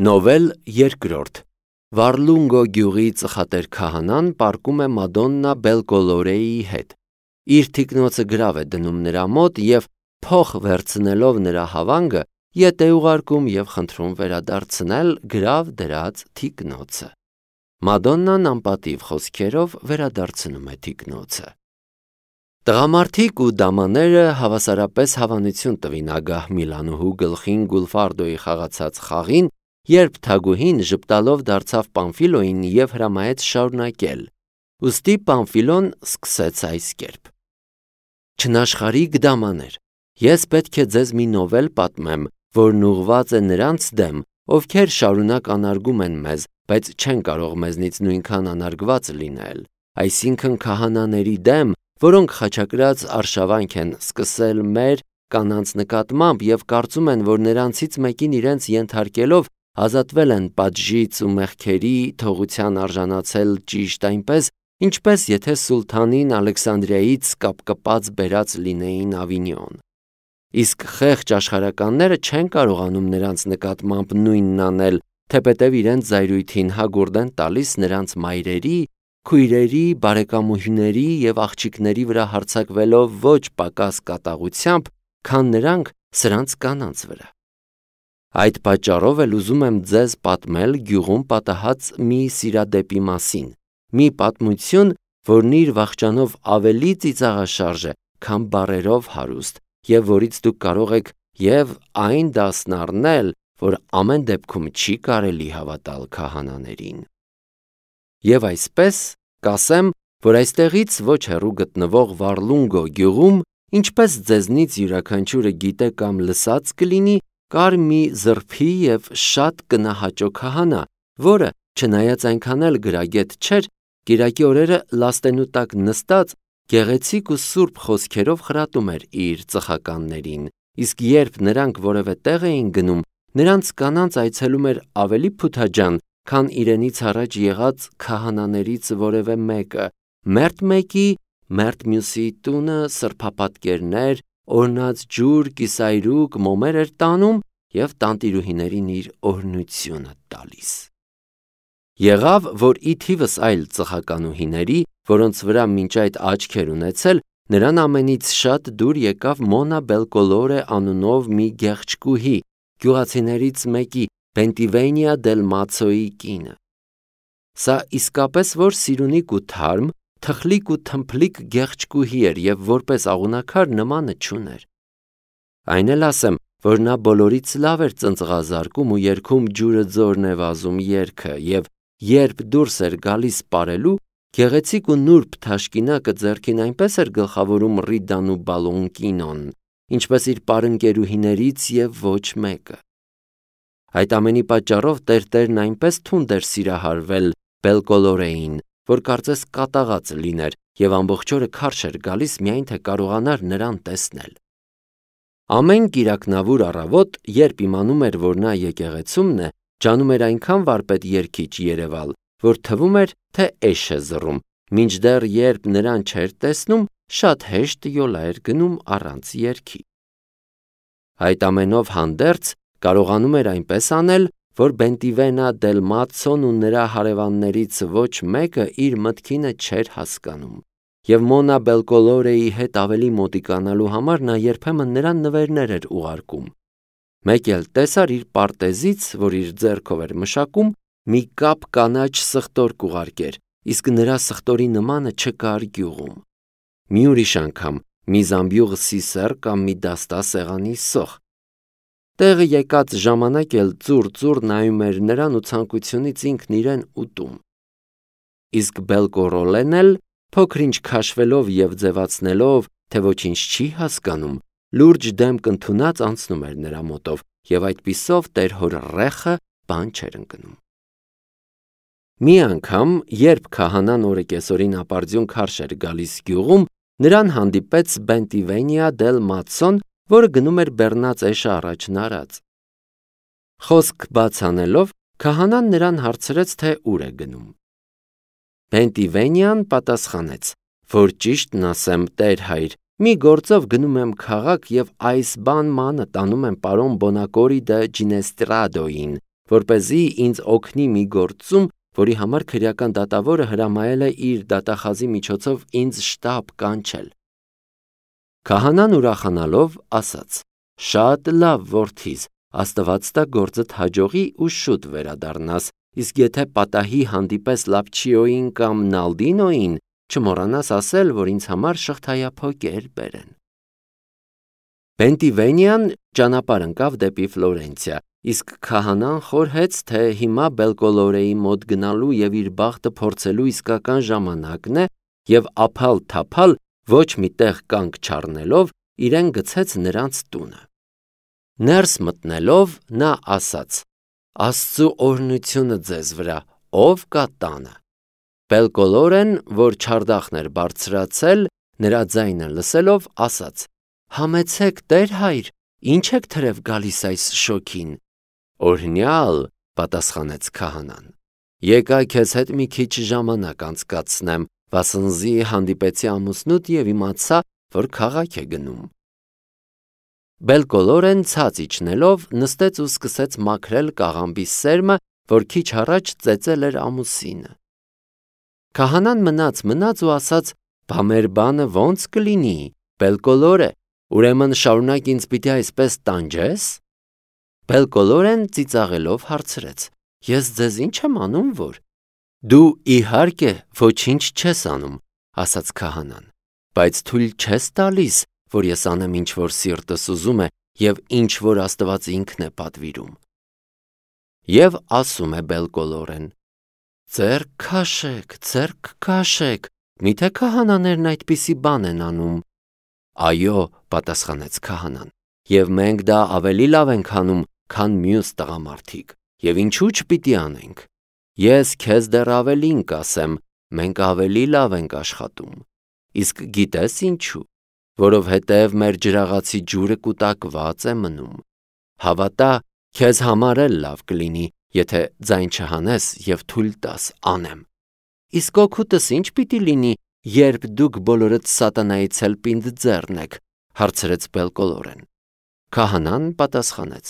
Նովել երկրորդ Վարլունգո գյուղի ծխատեր քահանան պառկում է Մադոննա Բելկոլորեի հետ։ Իր թիկնոցը գրավ է դնում նրա մոտ և փող վերցնելով նրա հավանգը ետ է ուղարկում և խնդրում վերադարձնել գրավ դրած թիկնոցը։ Մադոննան անպատիվ խոսքերով վերադարձնում է թիկնոցը։ Տղամարդիկ ու դամաները հավասարապես հավանություն տվին ագահ Միլանուհու գլխին Գուլֆարդոյի խաղացած խաղին, երբ թագուհին ժպտալով դարձավ Պամֆիլոյին և հրամայեց շարունակել, ուստի Պամֆիլոն սկսեց այս կերպ. Չնաշխարհիկ դամաներ, ես պետք է ձեզ մի նովել պատմեմ, որն ուղղված է նրանց դեմ, ովքեր շարունակ անարգում են մեզ, բայց չեն կարող մեզնից նույնքան անարգված լինել, այսինքն քահանաների դեմ, որոնք խաչակրաց արշավանք են սկսել մեր կանանց նկատմամբ և կարծում են, որ նրանցից մեկին իրենց ենթարկելով ազատվել են պատժից ու մեղքերի թողության արժանացել ճիշտ այնպես, ինչպես եթե սուլթանին Ալեքսանդրիայից կապկպած բերած լինեին Ավինյոն։ Իսկ խեղճ աշխարհականները չեն կարողանում նրանց նկատմամբ նույնն անել, թեպետև իրենց զայրույթին հագուրդ են տալիս նրանց մայրերի, քույրերի, բարեկամուհիների և աղջիկների վրա հարձակվելով ոչ պակաս կատաղությամբ, քան նրանք սրանց կանանց վրա։ Այդ պատճառով էլ ուզում եմ ձեզ պատմել գյուղում պատահած մի սիրադեպի մասին, մի պատմություն, որն իր վախճանով ավելի ծիծաղաշարժ է, քան բառերով հարուստ, և որից դուք կարող եք և այն դասն առնել, որ ամեն դեպքում չի կարելի հավատալ քահանաներին։ Եվ այսպես կասեմ, որ այստեղից ոչ հեռու գտնվող Վարլունգո գյուղում, ինչպես ձեզնից յուրաքանչյուրը գիտե կամ լսած կլինի, կար մի զրփի և շատ կնահաճո քահանա, որը, չնայած այնքան էլ գրագետ չէր, կիրակի օրերը լաստենու տակ նստած, գեղեցիկ ու սուրբ խոսքերով խրատում էր իր ծխականներին, իսկ երբ նրանք որևէ տեղ էին գնում, նրանց կանանց այցելում էր ավելի փութաջան, քան իրենից առաջ եղած քահանաներից որևէ մեկը, մերթ մեկի, մերթ մյուսի տունը սրբապատկերներ, օրհնած ջուր, կիսայրուկ, մոմեր էր տանում և տանտիրուհիներին իր օրհնությունը տալիս։ Եղավ, որ ի թիվս այլ ծխականուհիների, որոնց վրա մինչ այդ աչք էր ունեցել, նրան ամենից շատ դուր եկավ Մոնա Բելկոլորե անունով մի գեղեցկուհի, գյուղացիներից մեկի, Բենտիվենիա դել Մացոյի կինը։ Սա իսկապես որ սիրունիկ ու թարմ, թխլիկ ու թմփլիկ գեղեցկուհի էր և որպես աղունակար նմանը չուներ։ Այն էլ ասեմ, որ նա բոլորից լավ էր ծնծղազարկում ու երգում ջուրը ձորն է վազում երգը և երբ դուրս էր գալիս պարելու, գեղեցիկ ու նուրբ թաշկինակը ձեռքին այնպես էր գլխավորում Ռիդան ու Բալոնկինոն, ինչպես իր պարընկերուհիներից և ոչ մեկը։ Այդ ամենի պատճառով տերտերն այնպես թունդ էր սիրահարվել Բելկոլորեին, որ կարծես կատաղած լիներ և ամբողջ օրը քարշ էր գալիս միայն թե կարողանար նրան տեսնել։ Ամեն կիրակնավուր առավոտ, երբ իմանում էր, որ նա եկեղեցումն է, ջանում էր այնքան վարպետ երգիչ երևալ, որ թվում էր, թե էշ է զռում, մինչդեռ երբ նրան չէր տեսնում, շատ հեշտ յոլա էր գնում առանց երգի։ Այդ ամենով հանդերձ կարողանում էր այնպես անել, որ Բենտիվենա դել Մացոն ու նրա հարևաններից ոչ մեկը իր մտքինը չէր հասկանում, և Մոնա Բելկոլորեի հետ ավելի մոտիկանալու համար նա երբեմն նրան նվերներ էր ուղարկում։ Մեկ էլ տեսար իր պարտեզից, որ իր ձեռքով էր մշակում, մի կապ կանաչ սխտոր կուղարկեր, իսկ նրա սխտորի նմանը չկար գյուղում։ Մի ուրիշ անգամ մի զամբյուղ սիսեռ կամ մի դաստա սեղանի սոխ։ Տեղը եկած ժամանակ էլ ծուռ նայում էր նրան ու ցանկությունից ինքն իրեն ուտում։ Իսկ Բելկորոլեն էլ, փոքր-ինչ քաշվելով և ձևացնելով, թե ոչինչ չի հասկանում, լուրջ դեմք ընդունած անցնում էր նրա մոտով և այդպիսով տեր-հոր ռեխը բան չէր ընկնում։ Մի անգամ, երբ քահանան օրեկեսօրին ապարդյուն քարշ էր գալիս գյուղում, նրան հանդիպեց Բենտիվենիա դել Մացոն, որը գնում էր բեռնած էշը առաջն արած։ Խոսք բաց անելով, քահանան նրան հարցրեց, թե ուր է գնում։ Բենտիվենիան պատասխանեց, որ ճիշտն ասեմ, տեր-հայր, մի գործով գնում եմ քաղաք և այս բան մանը տանում եմ պարոն Բոնակորի դը Ջինեստրադոյին, որպեսզի ինձ օգնի մի գործում, որի համար քրեական դատավորը հրամայել է իր դատախազի միջոցով ինձ շտապ կանչել։ Քահանան ուրախանալով ասաց. «Շատ լավ, որդիս, Աստված տա գործդ հաջողի ու շուտ վերադառնաս, իսկ եթե պատահի հանդիպես Լապչիոյին կամ Նալդինոյին, չմոռանաս ասել, որ ինձ համար շղթայափոկեր բերեն»։ Պենտիվենիան ճանապարհ ընկավ դեպի Ֆլորենցիա, իսկ քահանան խորհեց, թե հիմա Բելկոլորեի մոտ գնալու եւ իր բախտը փորձելու իսկական ժամանակն է, եւ ափալ-թափալ ոչ մի տեղ կանգ չառնելով իրեն գցեց նրանց տունը։ Ներս մտնելով նա ասաց. «Աստծու օրհնությունը ձեզ վրա, ով կա տանը»։ Բելկոլորեն, որ չարդախն էր բարձրացել, նրա ձայնը լսելով ասաց. «Համեցեք, Տեր հայր, ինչ եք թրև գալիս այս շոգին»։ «Օրհնյալ», պատասխանեց քահանան, «եկա քեզ հետ մի քիչ ժամանակ անցկացնեմ, վասնզի հանդիպեցի ամուսնուդ եւ իմացա, որ քաղաք է գնում»։ Բելկոլորեն ցած իջնելով նստեց ու սկսեց մաքրել կաղամբի սերմը, որ քիչ առաջ ծեծել էր ամուսինը։ Քահանան մնաց ու ասաց. «Բա մեր բանը ո՞նց կլինի, Բելկոլորե, ուրեմն շարունակ ինձ պիտի այսպես տանջես»։ Բելկոլորեն ծիծաղելով հարցրեց. «Ես ձեզ ինչ եմ անում, որ»։ «Դու իհարկե ոչինչ չես անում», ասաց քահանան, «բայց թույլ չես տալիս, որ ես անեմ ինչ որ սիրտս ուզում է եւ ինչ որ Աստված ինքն է պատվիրում»։ Եվ ասում է Բելկոլորեն. «Ձեռք քաշեք, միթե քահանաներն այդպիսի բան են անում»։ «Այո», պատասխանեց քահանան, «եւ մենք դա ավելի լավ ենք անում, քան մյուս տղամարդիկ, եւ ինչու՞ չպիտի անենք։ Ես քեզ դեռ ավելին կասեմ, մենք ավելի լավ ենք աշխատում։ Իսկ գիտես ինչու, որովհետև մեր ջրաղացի ջուրը կուտակված է մնում։ Հավատա, քեզ համար էլ լավ կլինի, եթե ձայն չհանես եւ թույլ տաս անեմ։ Իսկ օգուտս ինչ պիտի լինի, երբ դուք բոլորդ սատանայից էլ պինդ ձեռն եք, հարցրեց Բելկոլորեն։ Քահանան պատասխանեց.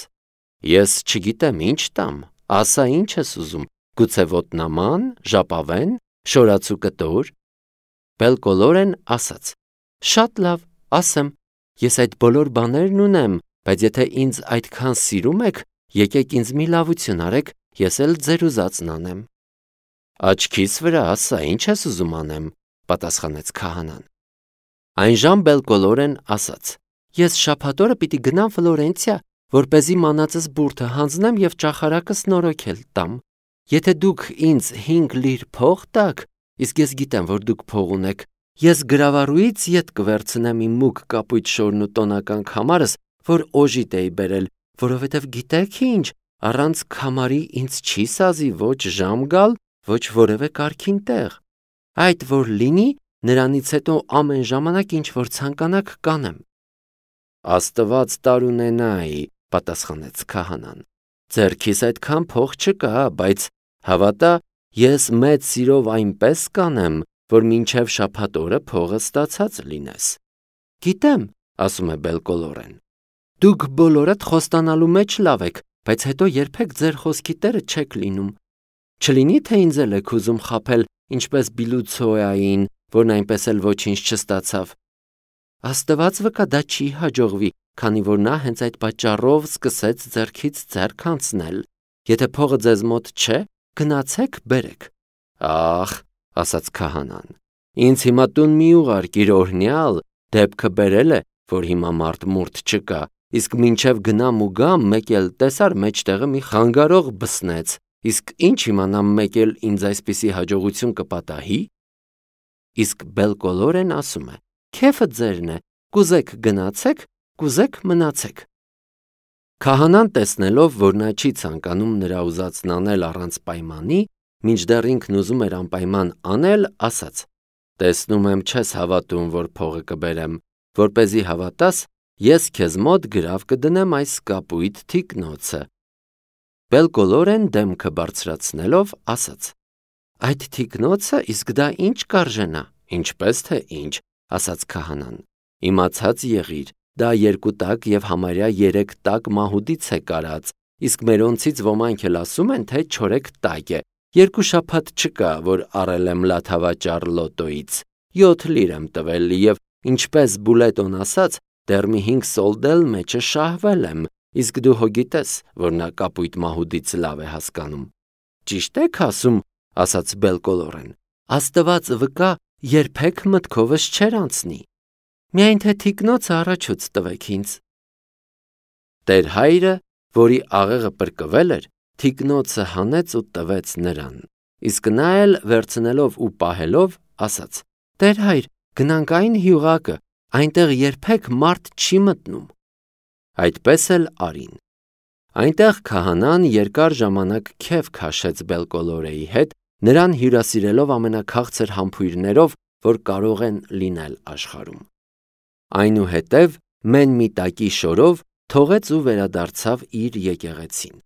Ես չգիտեմ ինչ տամ, ասա ինչ ես ուզում, գուցե ոտնաման, ժապավեն, շորացու կտոր։ Բելկոլորեն ասաց. Շատ լավ, ասեմ, ես այդ բոլոր բաներն ունեմ, բայց եթե ինձ այդքան սիրում եք, եկեք ինձ մի լավություն արեք, ես էլ ձեր ուզածն անեմ։ Աչքիս վրա ասա, ինչ ես ուզում անեմ, պատասխանեց քահանան։ Այնժամ Բելկոլորեն ասաց. Ես շաբաթօրը պիտի գնամ Ֆլորենցիա, որպեսզի մանածս բուրդը հանձնեմ եւ ճախարակս նորոգել տամ։ Եթե դուք ինձ 5 լիր փող տաք, իսկ ես գիտեմ, որ դուք փող ունեք, ես գրավարուից ետ կվերցնեմ իմ մուգ կապույտ շորն ու տոնական քամարս, որ օժիտ էի բերել, որովհետեւ գիտեք ինչ, առանց քամարի ինձ չի սազի ոչ ժամ գալ, ոչ որևէ կարգին տեղ։ Այդ որ լինի, նրանից հետո ամեն ժամանակ ինչ որ ցանկանաք կանեմ։ Աստված տարունենայի, պատասխանեց քահանան։ Ձերքիս այդքան փող չկա, բայց հավատա, ես մեծ սիրով այնպես կանեմ, որ մինչև շաբաթ օրը փողը ստացած լինես։ Գիտեմ, ասում է Բելկոլորեն։ Դուք բոլորդ խոստանալու մեջ լավ եք, բայց հետո երբեք ձեր խոսքի տերը չեք լինում։ Չլինի թե ինձ էլ եք ուզում խաբել, ինչպես Բիլուցոյային, որն այնպես էլ ոչինչ չստացավ։ Աստված վկա դա չի հաջողվի, քանի որ նա հենց այդ պատճառով սկսեց ձեռքից ձեռք անցնել։ Եթե փողը ձեզ մոտ չէ, գնացեք բերեք։ Ախ, ասաց քահանան, ինձ հիմա տուն մի ուղարկիր օրհնյալ, դեպքը բերել է, որ հիմա մարդ չկա, իսկ մինչև գնամ ու գամ, մեկ էլ տեսար մեջտեղը մի խանգարող բսնեց, իսկ ինչ իմանամ մեկ էլ ինձ այսպիսի հաջողություն կպատահի։ Իսկ Բելկոլորեն ասում է. Քեֆը ձերն է, կուզեք գնացեք, կուզեք մնացեք։ Քահանան տեսնելով, որ նա չի ցանկանում նրա ուզածն անել առանց պայմանի, մինչդեռ ինքն ուզում էր անպայման անել, ասաց. Տեսնում եմ չես հավատում, որ փողը կբերեմ, որպեսզի հավատաս, ես քեզ մոտ գրավ կդնեմ այս կապույտ թիկնոցը։ Բելկոլորեն դեմքը բարձրացնելով ասաց. Այդ թիկնոցը իսկ դա ինչ կարժենա, ինչպես թե ինչ, ասաց քահանան։ Իմացած եղիր, դա 2 տակ եւ համարյա 3 տակ մահուդից է կարած, իսկ մերոնցից ոմանք էլ ասում են, թե չորեք տակ է, 2 շաբաթ չկա, որ առել եմ լաթավաճառ լոտոյից, 7 լիր եմ տվել և ինչպես Բուլետոն ասաց, դեռ մի 5 սոլդել մեջը շահվել եմ, իսկ դու հո գիտես, որ նա կապույտ մահուդից լավ է հասկանում։ Ճիշտ եք ասում, ասաց Բելկոլորեն, Աստված վկա, երբեք մտքովս չեր անցնի, միայն թե թիկնոցը առաջուց տվեք ինձ։ Տեր հայրը, որի աղեղը պրկվել էր, թիկնոցը հանեց ու տվեց նրան, իսկ նա էլ վերցնելով ու պահելով, ասաց. Տեր հայր, գնանք այն հյուղակը, այնտեղ երբեք մարդ չի մտնում։ Այդպես էլ արին։ Այնտեղ քահանան երկար ժամանակ քեֆ քաշեց Բելկոլորեի հետ, նրան հյուրասիրելով ամենաքաղցր համբույրներով, որ կարող են լինել աշխարհում։ Այնուհետև մեն մի տակի շորով թողեց ու վերադարձավ իր եկեղեցին։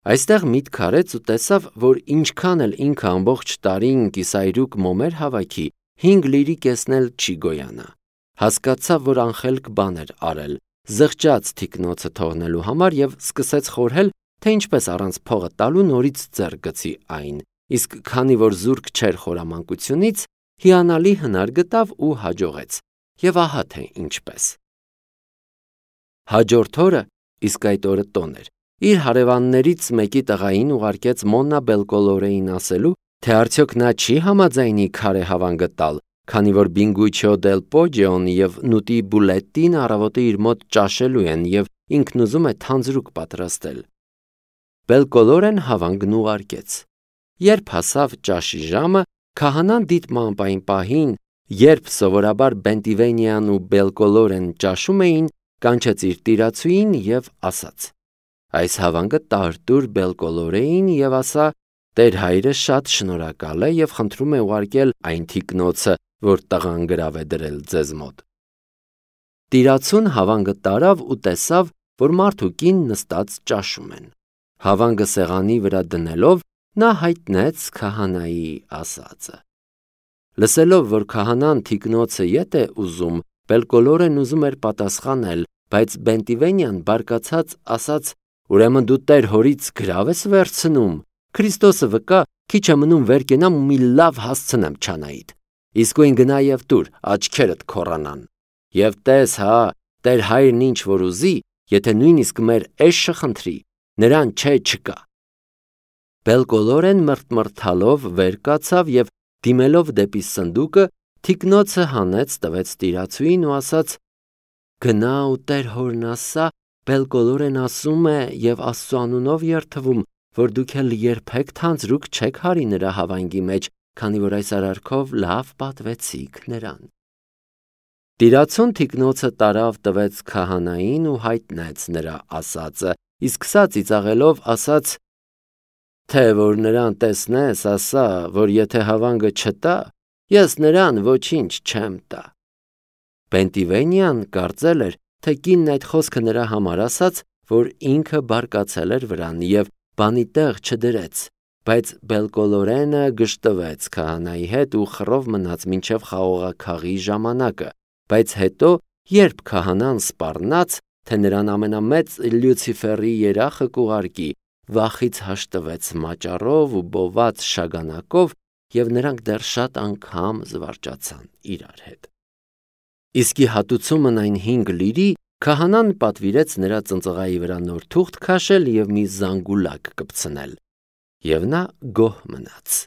Այստեղ միտք արեց ու տեսավ, որ ինչքան էլ ինքը ամբողջ տարին կիսայրուկ մոմեր հավաքի, 5 լիրի կեսն էլ չի գոյանա։ Հասկացավ, որ անխելք բան էր արել, զղջաց թիկնոցը թողնելու համար և սկսեց խորհել, թե ինչպես առանց փողը տալու նորից ձեռք գցի այն, իսկ քանի որ զուրկ չէր խորամանկությունից, հիանալի հնար գտավ ու հաջողեց, և ահա թե ինչպես։ Հաջորդ օրը, իսկ այդ օրը տոն էր, իր հարևաններից մեկի տղային ուղարկեց Մոննա Բելկոլորեին ասելու, թե արդյոք նա չի համաձայնի քարե հավանգը տալ, քանի որ Բինգուչիո դել Պոջիոն և Նուտի Բուլետտին առավոտը իր մոտ ճաշելու են և ինքն ուզում է թանձրուկ պատրաստել։ Բելկոլորեն հավանգն ուղարկեց։ Երբ հասավ ճաշի ժամը, քահանան դիտմամբ այն պահին, երբ սովորաբար Բենտիվենյան ու Բելկոլորեն ճաշում էին, կանչեց իր տիրացուին և ասաց. Այս հավանգը տար տուր Բելկոլորեին և ասա, Տեր հայրը շատ շնորհակալ է և խնդրում է ուղարկել այն թիկնոցը, որ տղան գրավ է դրել ձեզ մոտ։ Տիրացուն հավանգը տարավ ու տեսավ, որ մարդ ու կին նստած ճաշում են։ Հավանգը սեղանի վրա դնելով, նա հայտնեց քահանայի ասածը։ Լսելով, որ քահանան թիկնոցը ետ է ուզում, Բելկոլորեն ուզում էր պատասխանել, բայց Բենտիվենյան բարկացած ասաց. Ուրեմն դու Տեր հորից գրավ ես վերցնում, Քրիստոսը վկա, քիչ է մնում վեր կենամ ու մի լավ հասցնեմ չանայիդ, իսկույն գնա և տուր, աչքերդ քոռանան, և տես հա, Տեր հայրն ինչ որ ուզի, եթե նույնիսկ մեր էշը խնդրի, նրան չէ չկա։ Բելկոլորեն մրթմրթալով վեր կացավ և դիմելով դեպի սնդուկը, թիկնոցը հանեց տվեց տիրացուին ու ասաց. Գնա ու Տեր հորն ասա, Բելկոլորեն ասում է և Աստծու անունով երդվում, որ դուք էլ երբեք թանձրուկ չեք հարի նրա հավանգի մեջ, քանի որ այս արարքով լավ պատվեցիք նրան։ Տիրացուն թիկնոցը տարավ տվեց քահանային ու հայտնեց նրա ասածը, իսկ սա ծիծաղելով ասաց. Թե որ նրան տեսնես, ասա, որ եթե հավանգը չտա, ես նրան ոչինչ չեմ տա։ Բենտիվենյան կարծել էր, թե կինն այդ խոսքը նրա համար ասաց, որ ինքը բարկացել էր վրան և բանի տեղ չդրեց, բայց Բելկոլորենը գժտվեց քահանայի հետ ու խռով մնաց մինչև խաղողաքաղի ժամանակը, բայց հետո, երբ քահանան սպառնաց, թե նրան ամենամեծ Լյուցիֆերի երախը կուղարկի, վախից հաշտվեց մաճառով ու բոված շագանակով և նրանք դեռ շատ անգամ զվարճացան իրար հետ։ Իսկի հատուցումն այն 5 լիրի քահանան պատվիրեց նրա ծնծղայի վրա նոր թուղթ քաշել և մի զանգուլակ կպցնել, և նա գոհ մնաց։